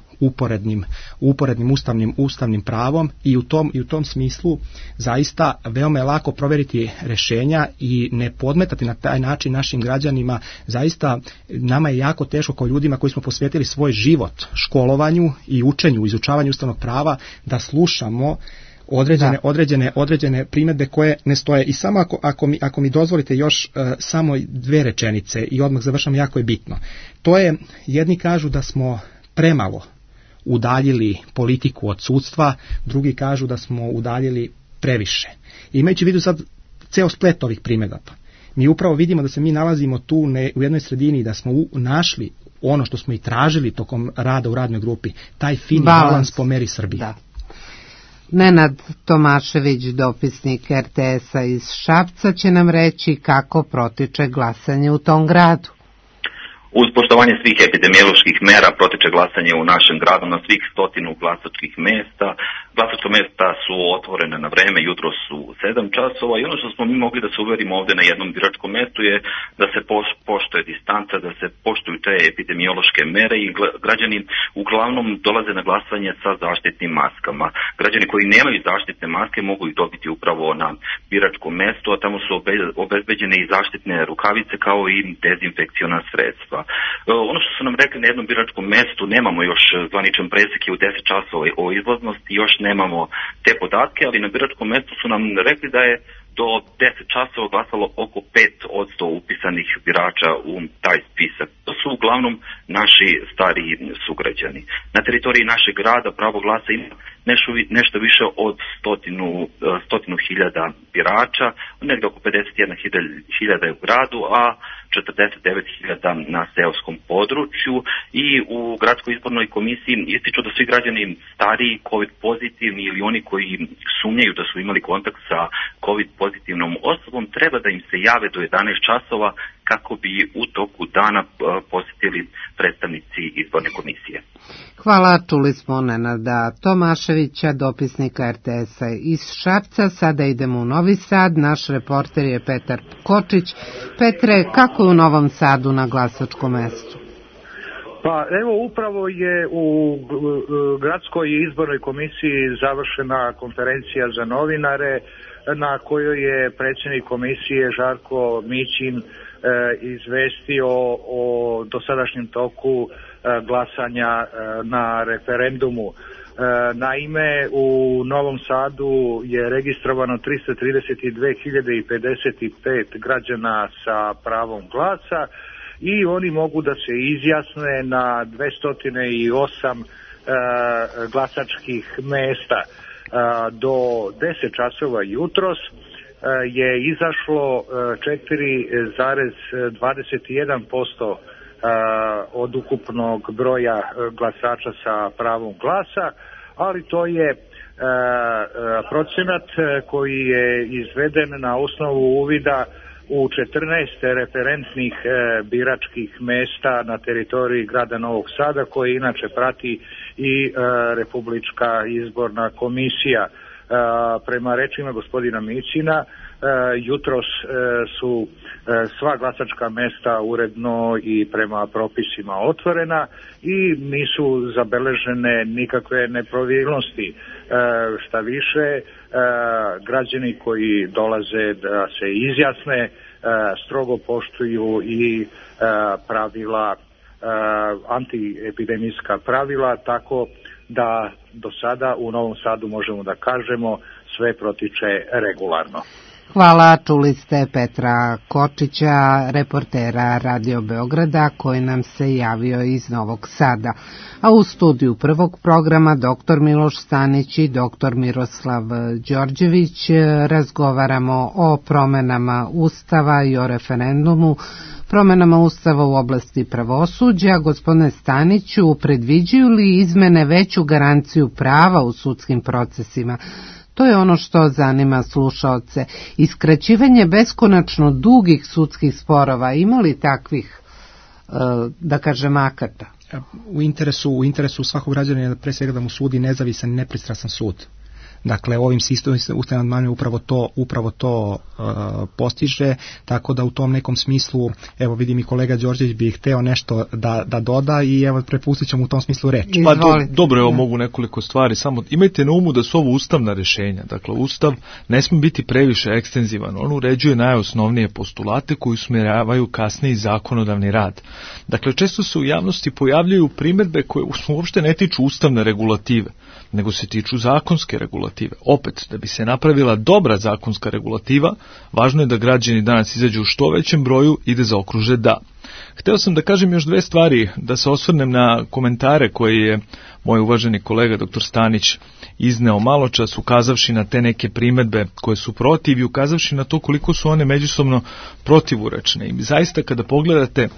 [SPEAKER 4] uporednim ustavnim pravom i u tom smislu zaista veoma je lako provjeriti rješenja i ne podmetati na taj način našim građanima. Zaista nama je jako teško kao ljudima koji smo posvetili svoj život školovanju i učenju, izučavanju ustavnog prava, da slušamo određene primjedbe koje ne stoje. I samo ako mi dozvolite još samo 2 rečenice i odmah završam, jako je bitno. To je, jedni kažu da smo premalo udaljili politiku od sudstva, drugi kažu da smo udaljili previše. Imajući u vidu sad ceo splet ovih primjedaba, mi upravo vidimo da se mi nalazimo tu u jednoj sredini, da smo našli ono što smo i tražili tokom rada u radnoj grupi, taj fini balans po meri Srbije. Da.
[SPEAKER 3] Nenad Tomašević, dopisnik RTS-a iz Šapca, će nam reći kako protiče glasanje u tom gradu.
[SPEAKER 16] Uz poštovanje svih epidemioloških mera protiče glasanje u našem gradu na svih 100 glasačkih mesta. Glasačka mesta su otvorene na vreme, jutro su 7 časova i ono što smo mi mogli da se uverimo ovdje na jednom biračkom mestu je da se poštuje distanca, da se poštuju te epidemiološke mere i građani uglavnom dolaze na glasanje sa zaštitnim maskama. Građani koji nemaju zaštitne maske mogu ih dobiti upravo na biračkom mestu, a tamo su obezbeđene i zaštitne rukavice kao i dezinfekciona sredstva. Ono što su nam rekli na jednom biračkom mestu, nemamo još zvaničan presek u 10 časova o izlaznosti, još nemamo te podatke, ali na biračkom mestu su nam rekli da je do 10 časova glasalo oko 5% upisanih birača u taj spisak. To su uglavnom naši stariji sugrađani. Na teritoriji našeg grada pravo glasa ima nešto više od 100.000 birača, negdje oko 51.000 je u gradu, a 49.000 na seoskom području i u gradskoj izbornoj komisiji ističu da svi građani stariji, COVID pozitivni ili oni koji sumnjaju da su imali kontakt sa COVID pozitivnom osobom treba da im se jave do 11 časova kako bi u toku dana posjetili predstavnici izborne komisije.
[SPEAKER 3] Hvala, čuli smo Nenada Tomaševića, dopisnika RTS-a iz Šapca. Sada idemo u Novi Sad, naš reporter je Petar Kočić. Petre, kako je u Novom Sadu na glasačkom mestu?
[SPEAKER 17] Pa evo, upravo je u gradskoj izbornoj komisiji završena konferencija za novinare na kojoj je predsjednik komisije Žarko Mićin izvestio o dosadašnjem toku glasanja na referendumu. Naime, u Novom Sadu je registrovano 332.055 građana sa pravom glasa i oni mogu da se izjasne na 208 glasačkih mesta. Do 10 časova jutros je izašlo 4,21% od ukupnog broja glasača sa pravom glasa, ali to je procenat koji je izveden na osnovu uvida u 14 referentnih biračkih mesta na teritoriji grada Novog Sada, koje inače prati i Republička izborna komisija. Prema rečima gospodina Mićina, jutros su sva glasačka mesta uredno i prema propisima otvorena i nisu zabeležene nikakve nepravilnosti. Šta više, građani koji dolaze da se izjasne strogo poštuju i pravila, antiepidemijska pravila, tako da do sada u Novom Sadu možemo da kažemo sve protiče regularno.
[SPEAKER 3] Hvala, čuli ste Petra Kočića, reportera Radio Beograda, koji nam se javio iz Novog Sada. A u studiju prvog programa dr. Miloš Stanić i dr. Miroslav Đorđević razgovaramo o promenama Ustava i o referendumu, promenama Ustava u oblasti pravosuđa. Gospodine Staniću, predviđaju li izmene veću garanciju prava u sudskim procesima? To je ono što zanima slušaoce. Iskraćivanje beskonačno dugih sudskih sporova, ima li takvih, da kažem, akata?
[SPEAKER 4] U interesu svakog građanina je pre svega da mu sudi nezavisan i nepristrasan sud. Dakle, ovim sistemom ustavnim amandmanom upravo to postiže, tako da u tom nekom smislu, evo vidim i kolega Đorđević bi hteo nešto da doda i evo prepustit ćemo u tom smislu reč.
[SPEAKER 5] Pa dobro, evo mogu nekoliko stvari, samo imajte na umu da su ovo ustavna rešenja, dakle Ustav ne smije biti previše ekstenzivan, on uređuje najosnovnije postulate koji usmjeravaju kasniji zakonodavni rad. Dakle, često se u javnosti pojavljaju primjedbe koje uopšte ne tiču ustavne regulative, nego se tiču zakonske regulative. regulative. Opet, da bi se napravila dobra zakonska regulativa, važno je da građani danas izađu u što većem broju i da zaokruže da. Hteo sam da kažem još dve stvari, da se osvrnem na komentare koje je moj uvaženi kolega dr. Stanić izneo maločas, ukazavši na te neke primedbe koje su protiv i ukazavši na to koliko su one međusobno protivurečne. I zaista kada pogledate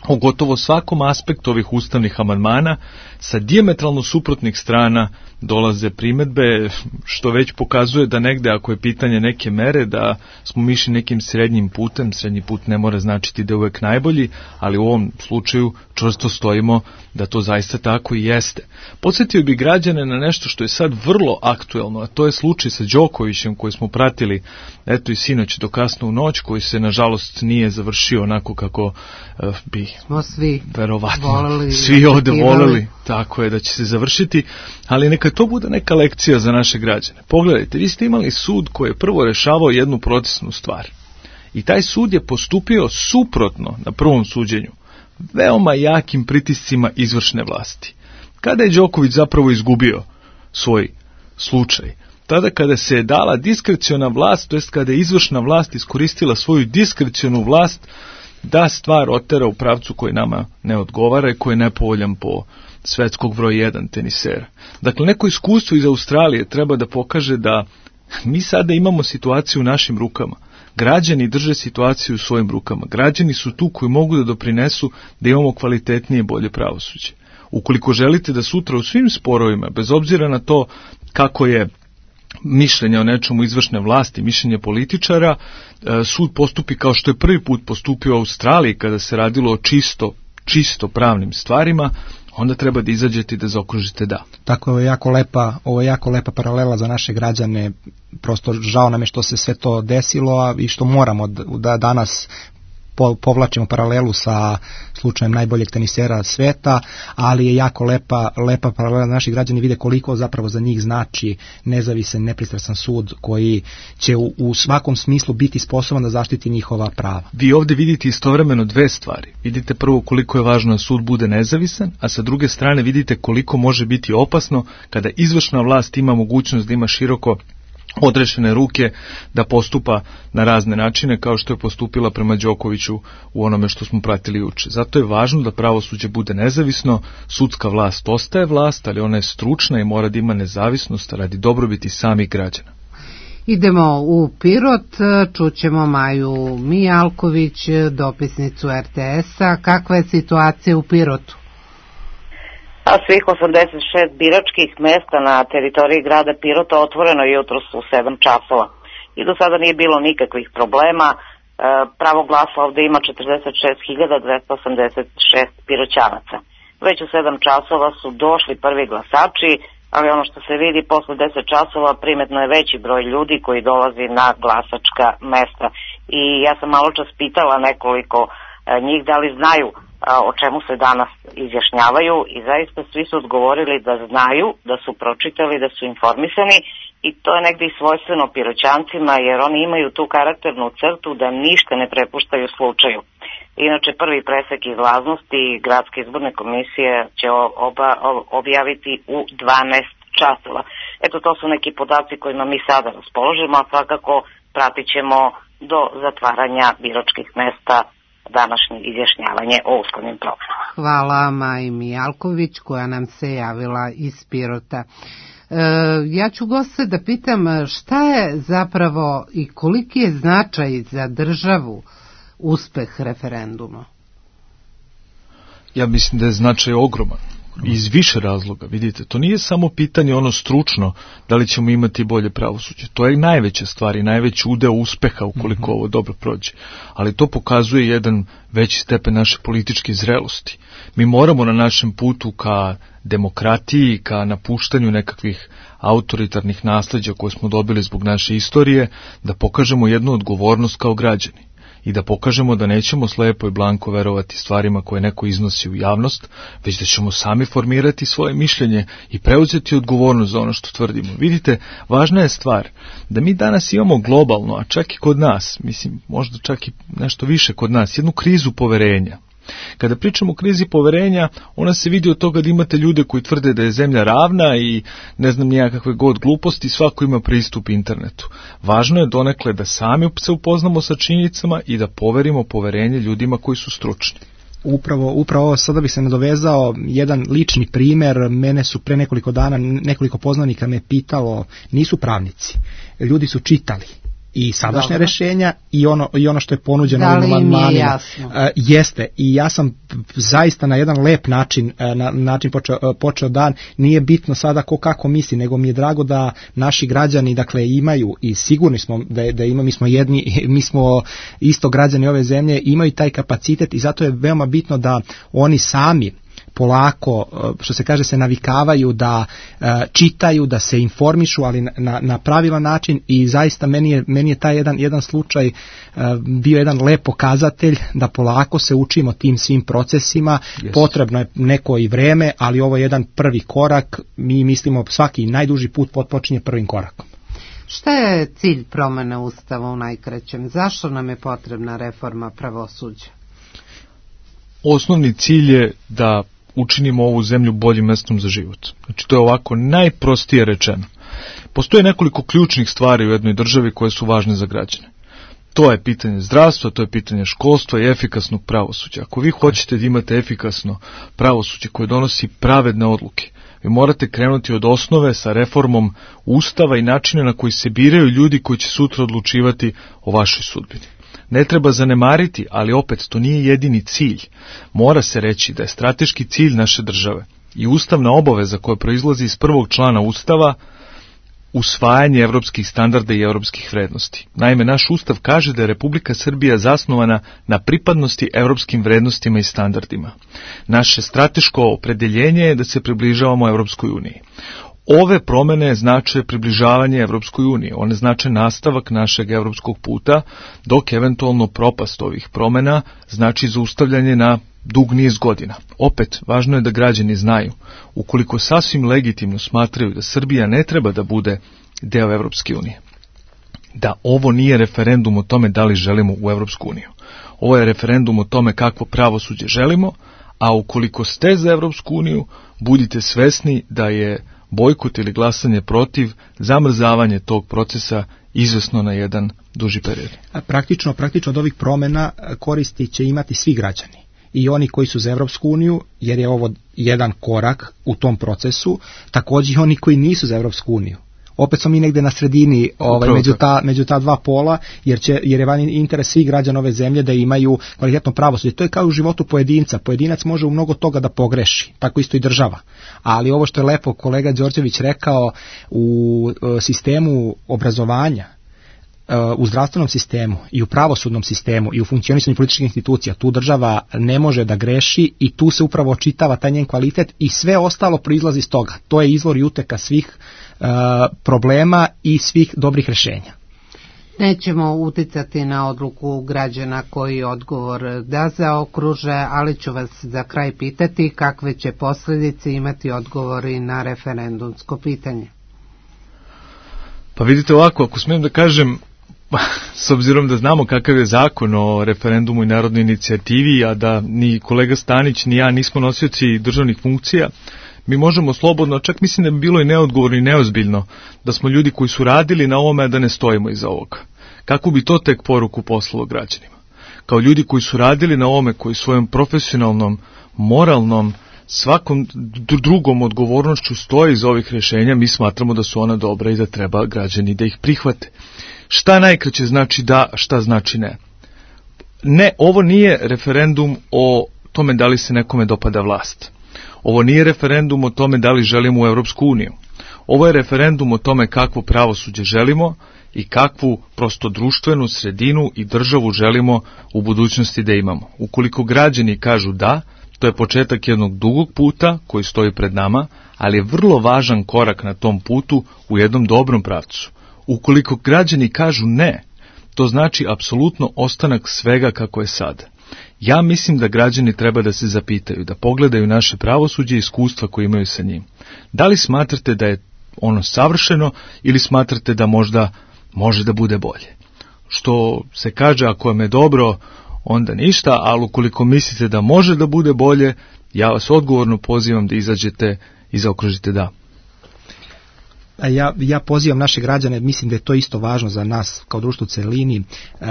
[SPEAKER 5] o gotovo svakom aspektu ovih ustavnih amandmana, sa dijametralno suprotnih strana dolaze primedbe, što već pokazuje da negde, ako je pitanje neke mere, da smo mi išli nekim srednjim putem. Srednji put ne mora značiti da je uvek najbolji, ali u ovom slučaju čvrsto stojimo da to zaista tako i jeste. Podsjetio bi građane na nešto što je sad vrlo aktuelno, a to je slučaj sa Đokovićem koji smo pratili eto i sinoć do kasno u noć, koji se nažalost nije završio onako kako bi
[SPEAKER 3] smo svi
[SPEAKER 5] verovatno
[SPEAKER 3] voleli,
[SPEAKER 5] svi ovde voleli, tako je da će se završiti, ali neka to bude neka lekcija za naše građane. Pogledajte, vi ste imali sud koji je prvo rešavao jednu procesnu stvar i taj sud je postupio suprotno na prvom suđenju veoma jakim pritiscima izvršne vlasti. Kada je Đoković zapravo izgubio svoj slučaj? Tada kada se je dala diskreciona vlast, to jest kada je izvršna vlast iskoristila svoju diskrecionu vlast da stvar otera u pravcu koji nama ne odgovara i koji je nepovoljan po svetskog broj 1 tenisera. Dakle, neko iskustvo iz Australije treba da pokaže da mi sada imamo situaciju u našim rukama. Građani drže situaciju u svojim rukama. Građani su tu koji mogu da doprinesu da imamo kvalitetnije i bolje pravosuđe. Ukoliko želite da sutra u svim sporovima, bez obzira na to kako je mišljenje o nečemu izvršne vlasti, mišljenje političara, sud postupi kao što je prvi put postupio u Australiji kada se radilo o čisto pravnim stvarima, onda treba da izađete i da zaokružite da.
[SPEAKER 4] Tako je ovo je jako lepa paralela za naše građane, prosto žao nam je što se sve to desilo i što moramo da danas povlačimo paralelu sa slučajem najboljeg tenisera sveta, ali je jako lepa paralela da naši građani vide koliko zapravo za njih znači nezavisan, nepristrasan sud koji će u svakom smislu biti sposoban da zaštiti njihova prava.
[SPEAKER 5] Vi ovdje vidite istovremeno dve stvari. Vidite prvo koliko je važno da sud bude nezavisan, a sa druge strane vidite koliko može biti opasno kada izvršna vlast ima mogućnost da ima široko odrešene ruke da postupa na razne načine kao što je postupila prema Đokoviću u onome što smo pratili juče. Zato je važno da pravosuđe bude nezavisno, sudska vlast ostaje vlast, ali ona je stručna i mora da ima nezavisnost radi dobrobiti samih građana.
[SPEAKER 3] Idemo u Pirot, čućemo Maju Mijalković, dopisnicu RTS-a. Kakva je situacija u Pirotu?
[SPEAKER 18] A svih 86 biračkih mesta na teritoriji grada Pirota otvoreno jutros u 7 časova. I do sada nije bilo nikakvih problema. Pravo glasa ovde ima 46.286 piroćanaca. Već u 7 časova su došli prvi glasači, ali ono što se vidi posle 10 časova primetno je veći broj ljudi koji dolazi na glasačka mesta. I ja sam malo čas pitala nekoliko njih da li znaju o čemu se danas izjašnjavaju i zaista svi su odgovorili da znaju, da su pročitali, da su informisani i to je negdje i svojstveno Piroćancima jer oni imaju tu karakternu crtu da ništa ne prepuštaju slučaju. Inače prvi presek izlaznosti Gradske izborne komisije će objaviti u 12 časova. Eto, to su neki podaci kojima mi sada raspoložimo, a svakako pratit ćemo do zatvaranja biračkih mesta današnje izjašnjavanje o ustavnim promenama.
[SPEAKER 3] Hvala Maji Mijalković koja nam se javila iz Pirota. Ja ću goste da pitam šta je zapravo i koliki je značaj za državu uspeh referenduma?
[SPEAKER 5] Ja mislim da je značaj ogroman. Iz više razloga, vidite, to nije samo pitanje ono stručno, da li ćemo imati bolje pravosuđe. To je najveća stvar i najveći udeo uspeha ukoliko ovo dobro prođe. Ali to pokazuje jedan veći stepen naše političke zrelosti. Mi moramo na našem putu ka demokratiji, ka napuštanju nekakvih autoritarnih nasleđa koje smo dobili zbog naše istorije, da pokažemo jednu odgovornost kao građani. I da pokažemo da nećemo slepo i blanko verovati stvarima koje neko iznosi u javnost, već da ćemo sami formirati svoje mišljenje i preuzeti odgovornost za ono što tvrdimo. Vidite, važna je stvar da mi danas imamo globalno, a čak i kod nas, mislim možda čak i nešto više kod nas, jednu krizu poverenja. Kada pričamo o krizi poverenja, ona se vidi od toga da imate ljude koji tvrde da je zemlja ravna i ne znam nijakakve god gluposti, svako ima pristup internetu. Važno je donekle da sami se upoznamo sa činjenicama i da poverimo poverenje ljudima koji su stručni.
[SPEAKER 4] Upravo sada bih se nadovezao jedan lični primer. Mene su pre nekoliko dana nekoliko poznanika me pitalo, nisu pravnici, ljudi su čitali i sadašnja rešenja i ono što je ponuđeno ovim amandmanima. Jeste, i ja sam zaista na jedan lep način počeo dan. Nije bitno sada ko kako misli, nego mi je drago da naši građani dakle imaju, i sigurni smo da imamo, mi smo isto građani ove zemlje, imaju taj kapacitet, i zato je veoma bitno da oni sami polako, što se kaže, se navikavaju da čitaju, da se informišu, ali na pravilan način, i zaista meni je taj jedan slučaj bio jedan lep pokazatelj da polako se učimo tim svim procesima. Potrebno je neko i vreme, ali ovo je jedan prvi korak. Mi mislimo svaki najduži put počinje prvim korakom.
[SPEAKER 3] Šta je cilj promene Ustava u najkraćem? Zašto nam je potrebna reforma pravosuđa?
[SPEAKER 5] Osnovni cilj je da učinimo ovu zemlju boljim mestom za život. Znači, to je ovako najprostije rečeno. Postoje nekoliko ključnih stvari u jednoj državi koje su važne za građane. To je pitanje zdravstva, to je pitanje školstva i efikasnog pravosuđa. Ako vi hoćete da imate efikasno pravosuđe koje donosi pravedne odluke, vi morate krenuti od osnove sa reformom Ustava i načina na koji se biraju ljudi koji će sutra odlučivati o vašoj sudbini. Ne treba zanemariti, ali opet to nije jedini cilj. Mora se reći da je strateški cilj naše države i ustavna obaveza koja proizlazi iz prvog člana Ustava usvajanje evropskih standarda i evropskih vrednosti. Naime, naš Ustav kaže da je Republika Srbija zasnovana na pripadnosti evropskim vrednostima i standardima. Naše strateško opredeljenje je da se približavamo Evropskoj uniji. Ove promene znače približavanje Evropskoj uniji, one znače nastavak našeg evropskog puta, dok eventualno propast ovih promena znači zaustavljanje na dug niz godina. Opet, važno je da građani znaju, ukoliko sasvim legitimno smatraju da Srbija ne treba da bude deo Evropske unije, da ovo nije referendum o tome da li želimo u Evropsku uniju. Ovo je referendum o tome kakvo pravosuđe želimo, a ukoliko ste za Evropsku uniju, budite svesni da je bojkot ili glasanje protiv, zamrzavanje tog procesa izvesno na jedan duži period.
[SPEAKER 4] Praktično od ovih promena koristi će imati svi građani. I oni koji su za Evropsku uniju, jer je ovo jedan korak u tom procesu, također i oni koji nisu za Evropsku uniju. Opet smo mi negde na sredini među ta dva pola, jer je van interes svih građana ove zemlje da imaju kvalitetno pravosuđe. To je kao u životu pojedinca. Pojedinac može u mnogo toga da pogreši, tako isto i država. Ali ovo što je lepo kolega Đorđević rekao, u sistemu obrazovanja, u zdravstvenom sistemu i u pravosudnom sistemu i u funkcionisanju političkih institucija, tu država ne može da greši i tu se upravo očitava taj njen kvalitet i sve ostalo proizlazi iz toga. To je izvor i uteka svih problema i svih dobrih rješenja.
[SPEAKER 3] Nećemo uticati na odluku građana koji odgovor da zaokruže, ali ću vas za kraj pitati kakve će posljedice imati odgovori na referendumsko pitanje.
[SPEAKER 5] Pa vidite ovako, ako smijem da kažem, s obzirom da znamo kakav je zakon o referendumu i narodnoj inicijativi, a da ni kolega Stanić ni ja nismo nosioci državnih funkcija, mi možemo slobodno, čak mislim da bi bilo i neodgovorno i neozbiljno, da smo ljudi koji su radili na ovome, a da ne stojimo iza ovoga. Kako bi to tek poruku poslalo građanima? Kao ljudi koji su radili na ovome, koji svojom profesionalnom, moralnom, svakom drugom odgovornošću stoje iz ovih rješenja, mi smatramo da su ona dobra i da treba građani da ih prihvate. Šta najkraće znači da, šta znači ne? Ne, ovo nije referendum o tome da li se nekome dopada vlast. Ovo nije referendum o tome da li želimo u Evropsku uniju. Ovo je referendum o tome kakvo pravosuđe želimo i kakvu prosto društvenu sredinu i državu želimo u budućnosti da imamo. Ukoliko građani kažu da, to je početak jednog dugog puta koji stoji pred nama, ali je vrlo važan korak na tom putu u jednom dobrom pravcu. Ukoliko građani kažu ne, to znači apsolutno ostanak svega kako je sada. Ja mislim da građani treba da se zapitaju, da pogledaju naše pravosuđe i iskustva koje imaju sa njim. Da li smatrate da je ono savršeno ili smatrate da možda može da bude bolje? Što se kaže, ako vam je dobro onda ništa, ali ukoliko mislite da može da bude bolje, ja vas odgovorno pozivam da izađete i zaokružite da.
[SPEAKER 4] Ja pozivam naše građane, mislim da je to isto važno za nas kao društvo u celini,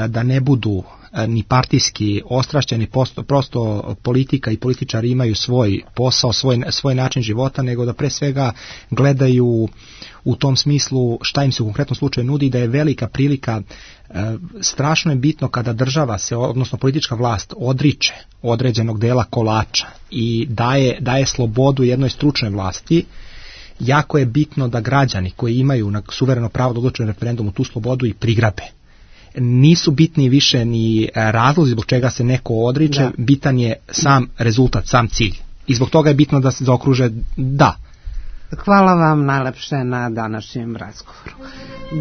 [SPEAKER 4] da ne budu ni partijski ostrašćeni, prosto politika i političari imaju svoj posao, svoj način života, nego da pre svega gledaju u tom smislu šta im se u konkretnom slučaju nudi, da je velika prilika. Strašno je bitno kada država se, odnosno politička vlast, odriče određenog dela kolača i daje slobodu jednoj stručnoj vlasti. Jako je bitno da građani koji imaju na suvereno pravo da odlučuju na referendumu tu slobodu i prigrabe. Nisu bitni više ni razlozi zbog čega se neko odriče, bitan je sam rezultat, sam cilj. I zbog toga je bitno da se zaokruže da.
[SPEAKER 3] Hvala vam najlepše na današnjem razgovoru.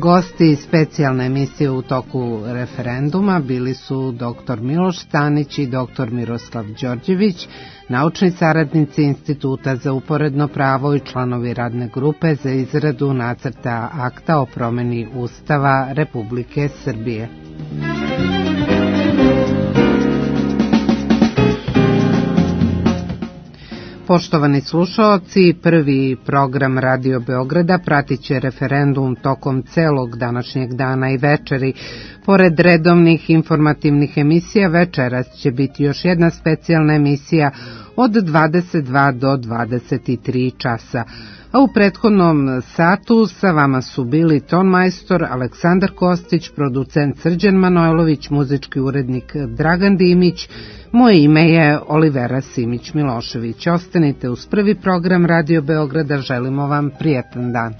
[SPEAKER 3] Gosti specijalne emisije u toku referenduma bili su dr. Miloš Stanić i dr. Miroslav Đorđević, naučni saradnici Instituta za uporedno pravo i članovi radne grupe za izradu nacrta akta o promeni Ustava Republike Srbije. Poštovani slušaoci, prvi program Radio Beograda pratit će referendum tokom celog današnjeg dana i večeri. Pored redovnih informativnih emisija, večeras će biti još jedna specijalna emisija od 22 do 23 časa. A u prethodnom satu sa vama su bili tonmajstor Aleksandar Kostić, producent Srđan Manojlović, muzički urednik Dragan Dimić. Moje ime je Olivera Simić Milošević. Ostanite uz prvi program Radio Beograda, želimo vam prijetan dan.